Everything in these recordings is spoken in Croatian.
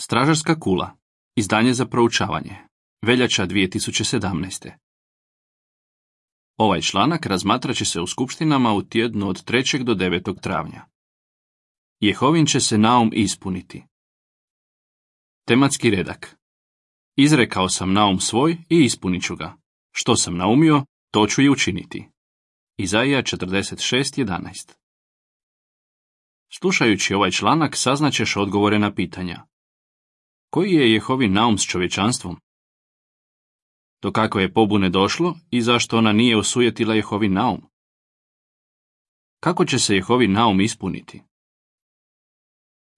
Stražarska kula. Izdanje za proučavanje. Veljača 2017. Ovaj članak razmatrat će se u skupštinama u tjednu od 3. do 9. travnja. Jehovin će se naum ispuniti. Tematski redak. Izrekao sam naum svoj i ispunit ću ga. Što sam naumio, to ću i učiniti. Izaija 46:11. Slušajući ovaj članak saznaćeš odgovore na pitanja. Koji je Jehovin naum s čovječanstvom? Do kakve je pobune došlo i zašto ona nije osujetila Jehovin naum? Kako će se Jehovin naum ispuniti?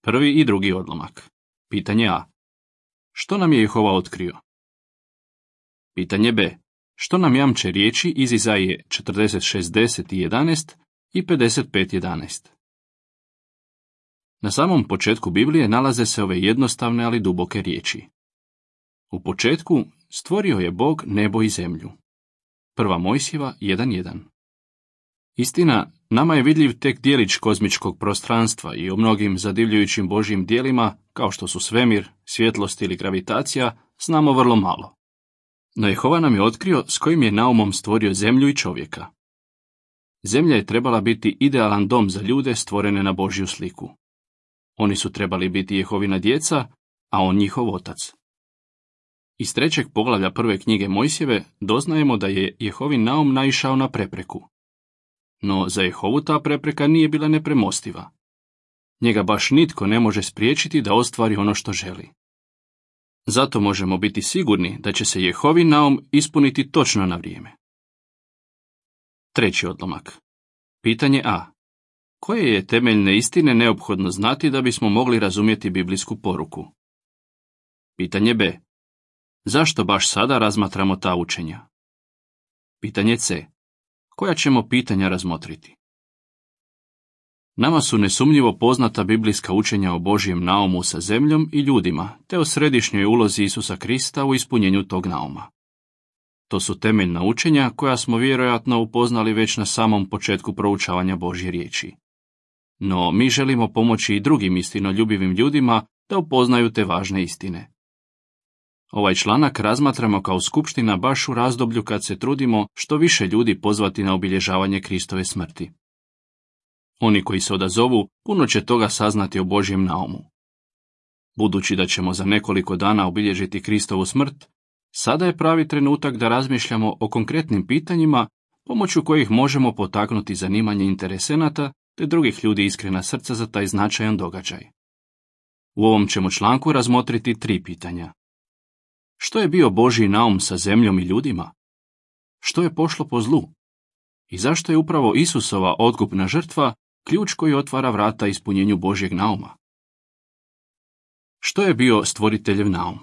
Prvi i drugi odlomak. Pitanje A. Što nam je Jehova otkrio? Pitanje B. Što nam jamče riječi iz Izaije 46:10-11 i 55:11? Na samom početku Biblije nalaze se ove jednostavne ali duboke riječi. U početku stvorio je Bog nebo i zemlju. 1. Mojsijeva 1:1. Istina, nama je vidljiv tek djelić kozmičkog prostranstva i o mnogim zadivljujućim Božjim djelima, kao što su svemir, svjetlost ili gravitacija, znamo vrlo malo. No Jehova nam je otkrio s kojim je naumom stvorio zemlju i čovjeka. Zemlja je trebala biti idealan dom za ljude stvorene na Božju sliku. Oni su trebali biti Jehovina djeca, a on njihov otac. Iz 3. poglavlja 1. knjige Mojsijeve doznajemo da je Jehovin naum naišao na prepreku. No za Jehovu ta prepreka nije bila nepremostiva. Njega baš nitko ne može spriječiti da ostvari ono što želi. Zato možemo biti sigurni da će se Jehovin naum ispuniti točno na vrijeme. Treći odlomak. Pitanje A. Koje je temeljne istine neophodno znati da bismo mogli razumjeti biblijsku poruku? Pitanje B. Zašto baš sada razmatramo ta učenja? Pitanje C. Koja ćemo pitanja razmotriti? Nama su nesumnjivo poznata biblijska učenja o Božjem naumu sa zemljom i ljudima, te o središnjoj ulozi Isusa Krista u ispunjenju tog nauma. To su temeljna učenja koja smo vjerojatno upoznali već na samom početku proučavanja Božje riječi. No mi želimo pomoći i drugim istinoljubivim ljudima da upoznaju te važne istine. Ovaj članak razmatramo kao skupština baš u razdoblju kad se trudimo što više ljudi pozvati na obilježavanje Kristove smrti. Oni koji se odazovu puno će toga saznati o Božjem naumu. Budući da ćemo za nekoliko dana obilježiti Kristovu smrt, sada je pravi trenutak da razmišljamo o konkretnim pitanjima pomoću kojih možemo potaknuti zanimanje interesenata te drugih ljudi iskrena srca za taj značajan događaj. U ovom ćemo članku razmotriti 3 pitanja. Što je bio Božji naum sa zemljom i ljudima? Što je pošlo po zlu? I zašto je upravo Isusova otkupna žrtva ključ koji otvara vrata ispunjenju Božjeg nauma? Što je bio stvoriteljev naum?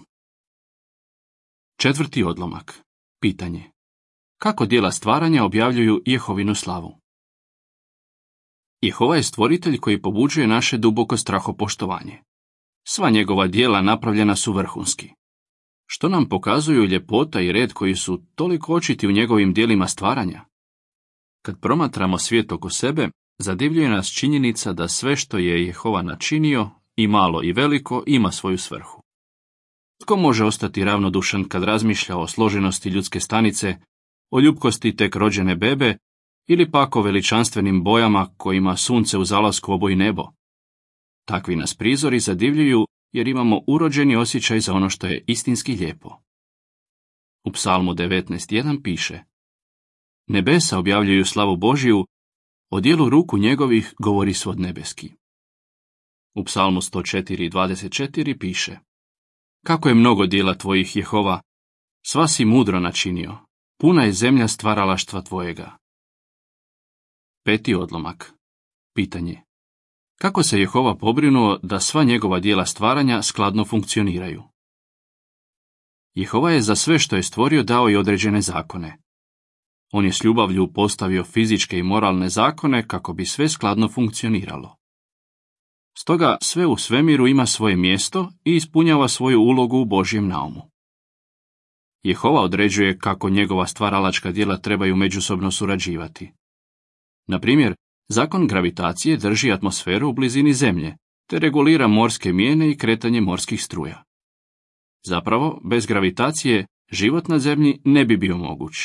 4. odlomak. Pitanje. Kako djela stvaranja objavljuju Jehovinu slavu? Jehova je stvoritelj koji pobuđuje naše duboko strahopoštovanje. Sva njegova djela napravljena su vrhunski. Što nam pokazuju ljepota i red koji su toliko očiti u njegovim djelima stvaranja? Kad promatramo svijet oko sebe, zadivljuje nas činjenica da sve što je Jehova načinio, i malo i veliko, ima svoju svrhu. Tko može ostati ravnodušan kad razmišlja o složenosti ljudske stanice, o ljupkosti tek rođene bebe, ili pak o veličanstvenim bojama kojima sunce u zalasku oboji nebo? Takvi nas prizori zadivljuju jer imamo urođeni osjećaj za ono što je istinski lijepo. U Psalmu 19:1 piše: Nebesa objavljuju slavu Božiju, o djelu ruku njegovih govori svod nebeski. U Psalmu 104:24 piše: Kako je mnogo djela tvojih, Jehova, sva si mudro načinio, puna je zemlja stvaralaštva tvojega. 5. odlomak. Pitanje. Kako se Jehova pobrinuo da sva njegova djela stvaranja skladno funkcioniraju? Jehova je za sve što je stvorio dao i određene zakone. On je s ljubavlju postavio fizičke i moralne zakone kako bi sve skladno funkcioniralo. Stoga sve u svemiru ima svoje mjesto i ispunjava svoju ulogu u Božjem naumu. Jehova određuje kako njegova stvaralačka djela trebaju međusobno surađivati. Na primjer, zakon gravitacije drži atmosferu u blizini Zemlje, te regulira morske mijene i kretanje morskih struja. Zapravo, bez gravitacije život na zemlji ne bi bio moguć.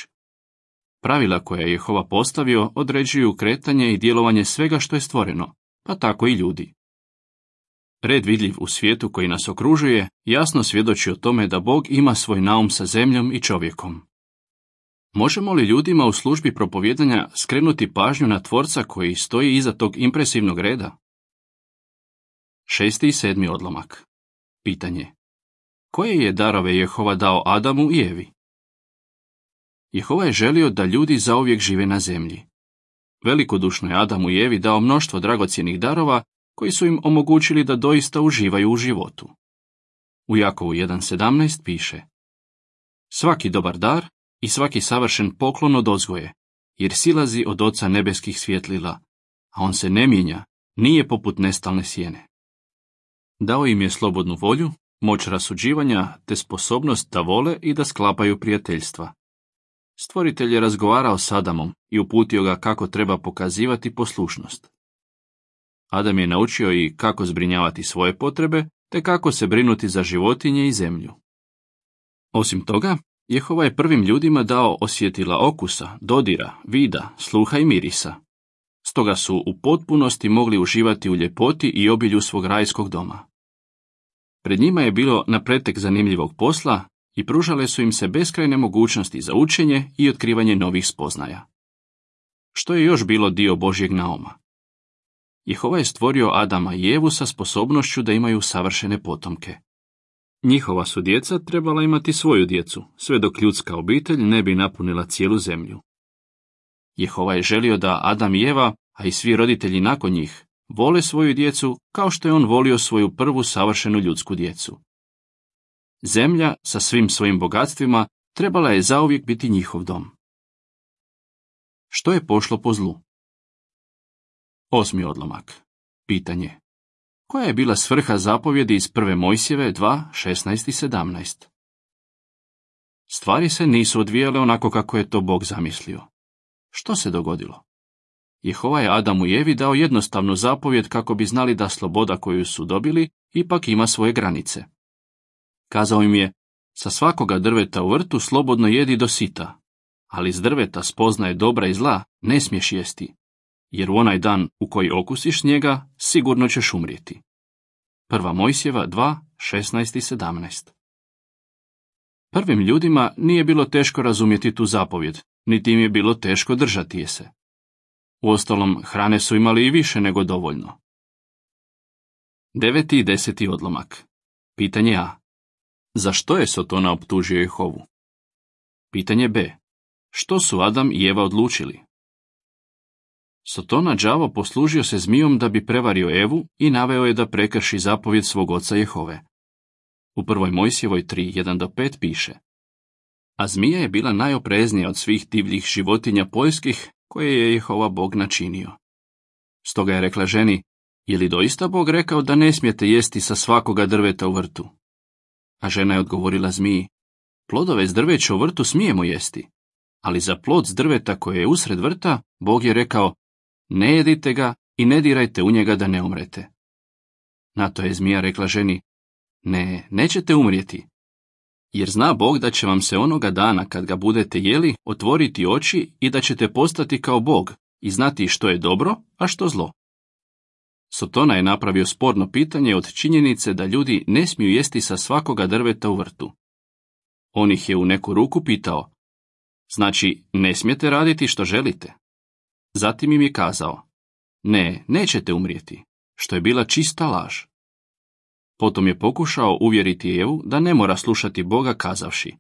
Pravila koja je Jehova postavio određuju kretanje i djelovanje svega što je stvoreno, pa tako i ljudi. Red vidljiv u svijetu koji nas okružuje jasno svjedoči o tome da Bog ima svoj naum sa zemljom i čovjekom. Možemo li ljudima u službi propovjedanja skrenuti pažnju na Tvorca koji stoji iza tog impresivnog reda? 6. i 7. odlomak. Pitanje. Koje je darove Jehova dao Adamu i Evi? Jehova je želio da ljudi zauvijek žive na zemlji. Velikodušno je Adamu i Evi dao mnoštvo dragocjenih darova koji su im omogućili da doista uživaju u životu. U Jakovu 1.17 piše: Svaki dobar dar i svaki savršen poklon odozgo je, jer silazi od Oca nebeskih svjetlila, a on se ne mijenja, nije poput nestalne sjene. Dao im je slobodnu volju, moć rasuđivanja te sposobnost da vole i da sklapaju prijateljstva. Stvoritelj je razgovarao s Adamom i uputio ga kako treba pokazivati poslušnost. Adam je naučio i kako zbrinjavati svoje potrebe, te kako se brinuti za životinje i zemlju. Osim toga, Jehova je prvim ljudima dao osjetila okusa, dodira, vida, sluha i mirisa. Stoga su u potpunosti mogli uživati u ljepoti i obilju svog rajskog doma. Pred njima je bilo na pretek zanimljivog posla i pružale su im se beskrajne mogućnosti za učenje i otkrivanje novih spoznaja. Što je još bilo dio Božjeg nauma? Jehova je stvorio Adama i Evu sa sposobnošću da imaju savršene potomke. Njihova su djeca trebala imati svoju djecu, sve dok ljudska obitelj ne bi napunila cijelu zemlju. Jehova je želio da Adam i Eva, a i svi roditelji nakon njih, vole svoju djecu kao što je on volio svoju prvu savršenu ljudsku djecu. Zemlja sa svim svojim bogatstvima trebala je zauvijek biti njihov dom. Što je pošlo po zlu? 8. odlomak. Pitanje. Koja je bila svrha zapovjedi iz 1. Mojsijeve 2.16 i 17? Stvari se nisu odvijale onako kako je to Bog zamislio. Što se dogodilo? Jehova je Adamu i Evi dao jednostavnu zapovjed kako bi znali da sloboda koju su dobili ipak ima svoje granice. Kazao im je: sa svakoga drveta u vrtu slobodno jedi do sita, ali s drveta spoznaje dobra i zla ne smiješ jesti, jer u onaj dan u koji okusiš njega sigurno ćeš umrijeti. 1. Mojsijeva 2.16 i 17. Prvim ljudima nije bilo teško razumjeti tu zapovjed, niti im je bilo teško držati je se. Uostalom, hrane su imali i više nego dovoljno. 9. i 10. odlomak. Pitanje A. Zašto je Sotona optužio Jehovu? Pitanje B. Što su Adam i Eva odlučili? Sotona đavo poslužio se zmijom da bi prevario Evu i naveo je da prekrši zapovjed svog oca Jehove. U 1. Mojsijevoj 3.1-5 piše: A zmija je bila najopreznija od svih divljih životinja poljskih koje je Jehova Bog načinio. Stoga je rekla ženi: Je li doista Bog rekao da ne smijete jesti sa svakoga drveta u vrtu? A žena je odgovorila zmiji: Plodove s drveća u vrtu smijemo jesti, ali za plod s drveta koje je usred vrta, Bog je rekao: Ne jedite ga i ne dirajte u njega da ne umrete. Na to je zmija rekla ženi: Ne, nećete umrijeti, jer zna Bog da će vam se onoga dana kad ga budete jeli otvoriti oči i da ćete postati kao Bog i znati što je dobro, a što zlo. Sotona je napravio sporno pitanje od činjenice da ljudi ne smiju jesti sa svakoga drveta u vrtu. On ih je u neku ruku pitao: Znači, ne smijete raditi što želite? Zatim im je kazao: Ne, nećete umrijeti, što je bila čista laž. Potom je pokušao uvjeriti Evu da ne mora slušati Boga kazavši: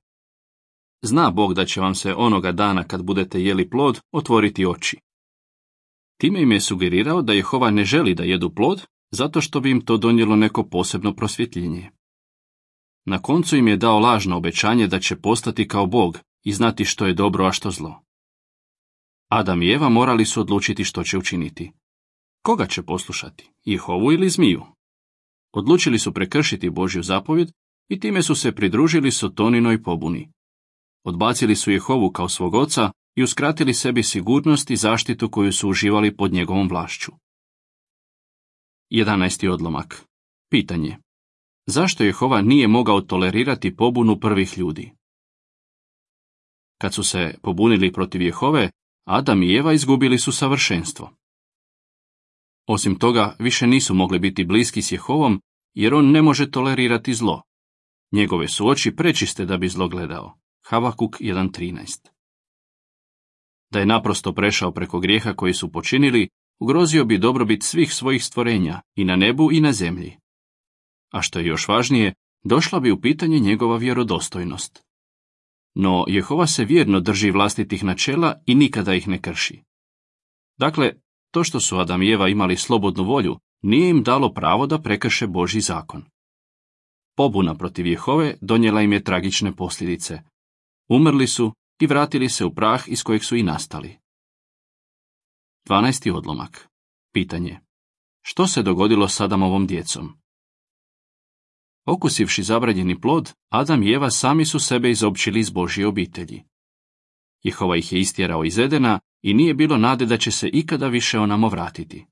Zna Bog da će vam se onoga dana kad budete jeli plod otvoriti oči. Time im je sugerirao da Jehova ne želi da jedu plod, zato što bi im to donijelo neko posebno prosvjetljenje. Na koncu im je dao lažno obećanje da će postati kao Bog i znati što je dobro, a što zlo. Adam i Eva morali su odlučiti što će učiniti. Koga će poslušati, Jehovu ili zmiju? Odlučili su prekršiti Božju zapovjed i time su se pridružili Sotoninoj pobuni. Odbacili su Jehovu kao svog oca i uskratili sebi sigurnost i zaštitu koju su uživali pod njegovom vlašću. 11. odlomak. Pitanje. Zašto Jehova nije mogao tolerirati pobunu prvih ljudi? Kad su se pobunili protiv Jehove, Adam i Eva izgubili su savršenstvo. Osim toga, više nisu mogli biti bliski s Jehovom, jer on ne može tolerirati zlo. Njegove su oči prečiste da bi zlo gledao. Havakuk 1.13. Da je naprosto prešao preko grijeha koji su počinili, ugrozio bi dobrobit svih svojih stvorenja, i na nebu i na zemlji. A što je još važnije, došla bi u pitanje njegova vjerodostojnost. No, Jehova se vjerno drži vlastitih načela i nikada ih ne krši. Dakle, to što su Adam i Eva imali slobodnu volju, nije im dalo pravo da prekrše Božji zakon. Pobuna protiv Jehove donijela im je tragične posljedice. Umrli su i vratili se u prah iz kojeg su i nastali. 12. odlomak. Pitanje. Što se dogodilo s Adamovom djecom? Okusivši zabranjeni plod, Adam i Eva sami su sebe izopćili iz Božje obitelji. Jehova ih je istjerao iz Edena i nije bilo nade da će se ikada više onamo vratiti.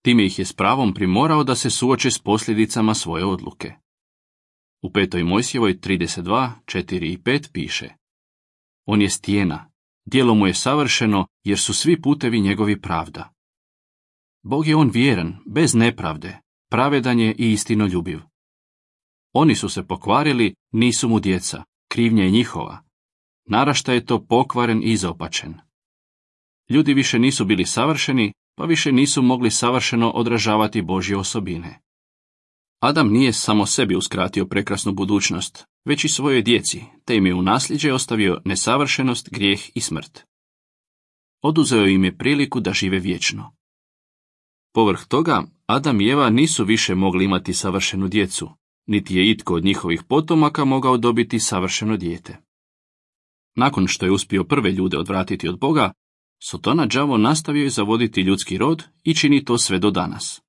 Time ih je s pravom primorao da se suoče s posljedicama svoje odluke. U 5. Mojsijevoj 32, 4 i 5 piše: On je stijena, djelo mu je savršeno, jer su svi putevi njegovi pravda. Bog je on vjeran, bez nepravde, pravedan je i istinoljubiv. Oni su se pokvarili, nisu mu djeca, krivnja je njihova. Naraštaj je to pokvaren i izopačen. Ljudi više nisu bili savršeni, pa više nisu mogli savršeno odražavati Božje osobine. Adam nije samo sebi uskratio prekrasnu budućnost, već i svojoj djeci, te im je u nasljeđe ostavio nesavršenost, grijeh i smrt. Oduzeo im je priliku da žive vječno. Povrh toga, Adam i Eva nisu više mogli imati savršenu djecu, niti je itko od njihovih potomaka mogao dobiti savršeno dijete. Nakon što je uspio prve ljude odvratiti od Boga, Sotona đavo nastavio je zavoditi ljudski rod i čini to sve do danas.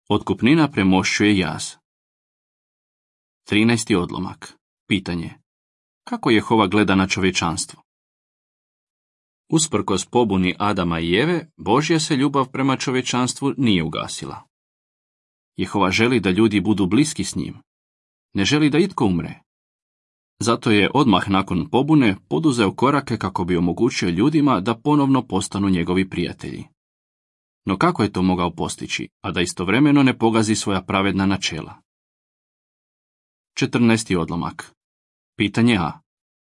Otkupnina premošćuje jaz. 13. odlomak. Pitanje. Kako Jehova gleda na čovječanstvo? Usprkos pobuni Adama i Eve, Božja se ljubav prema čovječanstvu nije ugasila. Jehova želi da ljudi budu bliski s njim. Ne želi da itko umre. Zato je odmah nakon pobune poduzeo korake kako bi omogućio ljudima da ponovno postanu njegovi prijatelji. No kako je to mogao postići, a da istovremeno ne pogazi svoja pravedna načela? 14. odlomak. Pitanje A.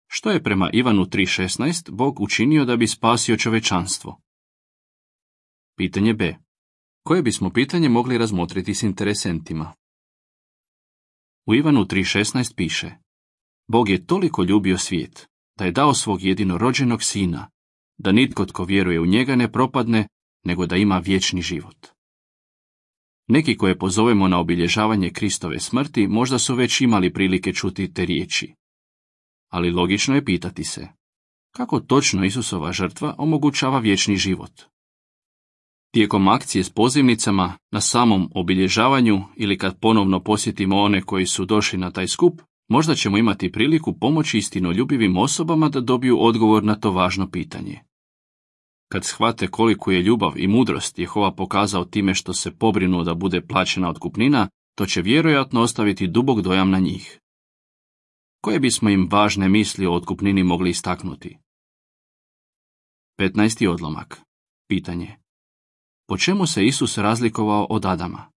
Što je prema Ivanu 3.16 Bog učinio da bi spasio čovječanstvo? Pitanje B. Koje bismo pitanje mogli razmotriti s interesentima? U Ivanu 3.16 piše: Bog je toliko ljubio svijet, da je dao svog jedinorođenog sina, da nitko tko vjeruje u njega ne propadne, nego da ima vječni život. Neki koje pozovemo na obilježavanje Kristove smrti možda su već imali prilike čuti te riječi. Ali logično je pitati se, kako točno Isusova žrtva omogućava vječni život? Tijekom akcije s pozivnicama, na samom obilježavanju ili kad ponovno posjetimo one koji su došli na taj skup, možda ćemo imati priliku pomoći istinoljubivim osobama da dobiju odgovor na to važno pitanje. Kad shvate koliku je ljubav i mudrost Jehova pokazao time što se pobrinuo da bude plaćena otkupnina, to će vjerojatno ostaviti dubok dojam na njih. Koje bismo im važne misli o otkupnini mogli istaknuti? 15. odlomak. Pitanje. Po čemu se Isus razlikovao od Adama?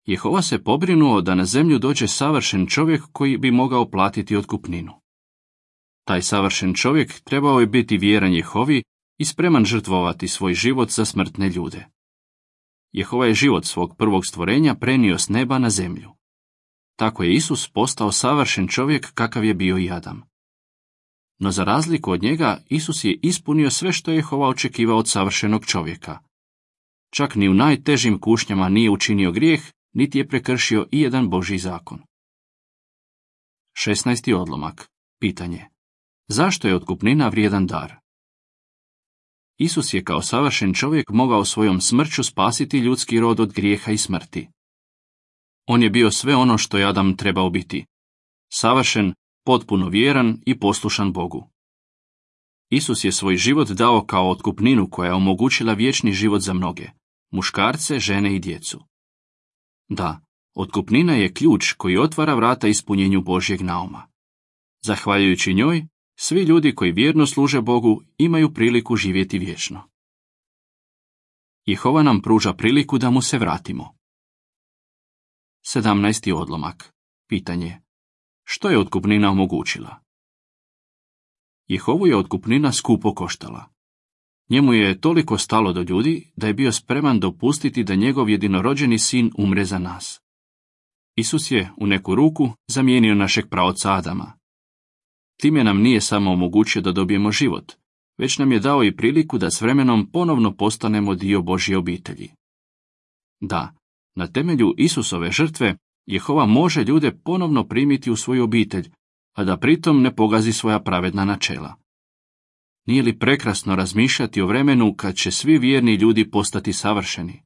Jehova se pobrinuo da na zemlju dođe savršen čovjek koji bi mogao platiti otkupninu. Taj savršen čovjek trebao je biti vjeran Jehovi i spreman žrtvovati svoj život za smrtne ljude. Jehova je život svog prvog stvorenja prenio s neba na zemlju. Tako je Isus postao savršen čovjek kakav je bio i Adam. No za razliku od njega, Isus je ispunio sve što je Jehova očekivao od savršenog čovjeka. Čak ni u najtežim kušnjama nije učinio grijeh, niti je prekršio i jedan Božji zakon. 16. odlomak. Pitanje. Zašto je otkupnina vrijedan dar? Isus je kao savršen čovjek mogao svojom smrću spasiti ljudski rod od grijeha i smrti. On je bio sve ono što je Adam trebao biti. Savršen, potpuno vjeran i poslušan Bogu. Isus je svoj život dao kao otkupninu koja je omogućila vječni život za mnoge, muškarce, žene i djecu. Da, otkupnina je ključ koji otvara vrata ispunjenju Božjeg nauma. Zahvaljujući njoj, svi ljudi koji vjerno služe Bogu imaju priliku živjeti vječno. Jehova nam pruža priliku da mu se vratimo. 17. odlomak. Pitanje. Što je otkupnina omogućila? Jehovu je otkupnina skupo koštala. Njemu je toliko stalo do ljudi da je bio spreman dopustiti da njegov jedinorođeni sin umre za nas. Isus je u neku ruku zamijenio našeg praoca Adama. Time nam nije samo omogućio da dobijemo život, već nam je dao i priliku da s vremenom ponovno postanemo dio Božje obitelji. Da, na temelju Isusove žrtve Jehova može ljude ponovno primiti u svoju obitelj, a da pritom ne pogazi svoja pravedna načela. Nije li prekrasno razmišljati o vremenu kad će svi vjerni ljudi postati savršeni?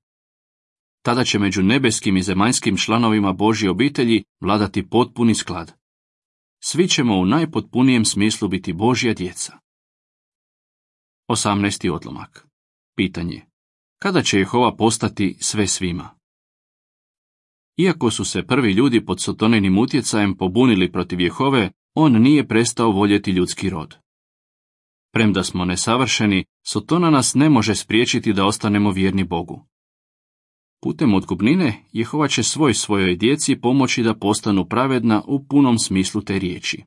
Tada će među nebeskim i zemaljskim članovima Božje obitelji vladati potpuni sklad. Svi ćemo u najpotpunijem smislu biti Božja djeca. 18. odlomak. Pitanje. Kada će Jehova postati sve svima? Iako su se prvi ljudi pod Sotoninim utjecajem pobunili protiv Jehove, on nije prestao voljeti ljudski rod. Premda smo nesavršeni, Sotona nas ne može spriječiti da ostanemo vjerni Bogu. Putem otkupnine, Jehova će svojoj djeci pomoći da postanu pravedna u punom smislu te riječi.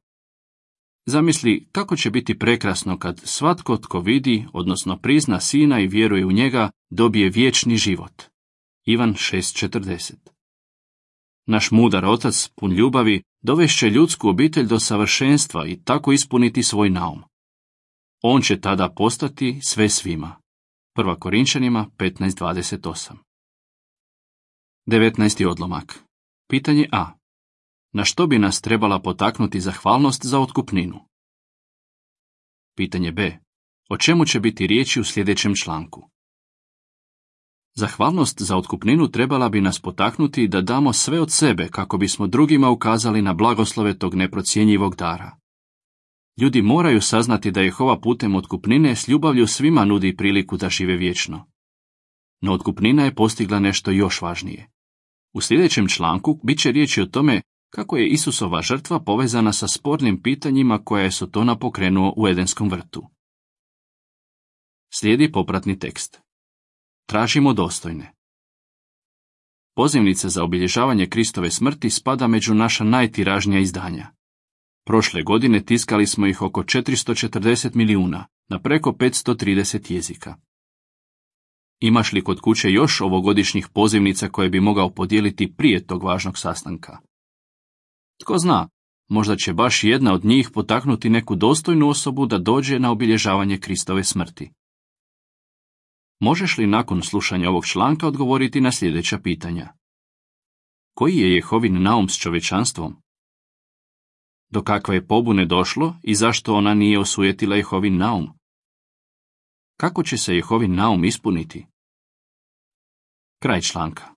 Zamisli kako će biti prekrasno kad svatko tko vidi, odnosno prizna Sina i vjeruje u njega, dobije vječni život. Ivan 6:40. Naš mudar otac, pun ljubavi, dovešće ljudsku obitelj do savršenstva i tako ispuniti svoj naum. On će tada postati sve svima. 1. Korinčanima 15:28. 19. odlomak. Pitanje A. Na što bi nas trebala potaknuti zahvalnost za otkupninu? Pitanje B. O čemu će biti riječi u sljedećem članku? Zahvalnost za otkupninu trebala bi nas potaknuti da damo sve od sebe kako bismo drugima ukazali na blagoslove tog neprocjenjivog dara. Ljudi moraju saznati da Jehova putem otkupnine s ljubavlju svima nudi priliku da žive vječno. No otkupnina je postigla nešto još važnije. U sljedećem članku bit će riječi o tome kako je Isusova žrtva povezana sa spornim pitanjima koja je Sotona pokrenuo u Edenskom vrtu. Slijedi popratni tekst. Tražimo dostojne. Pozivnica za obilježavanje Kristove smrti spada među naša najtiražnija izdanja. Prošle godine tiskali smo ih oko 440 milijuna na preko 530 jezika. Imaš li kod kuće još ovogodišnjih pozivnica koje bi mogao podijeliti prije tog važnog sastanka? Tko zna, možda će baš jedna od njih potaknuti neku dostojnu osobu da dođe na obilježavanje Kristove smrti. Možeš li nakon slušanja ovog članka odgovoriti na sljedeća pitanja? Koji je Jehovin naum s čovječanstvom? Do kakve je pobune došlo i zašto ona nije osujetila Jehovin naum? Kako će se Jehovin naum ispuniti? Kraj članka.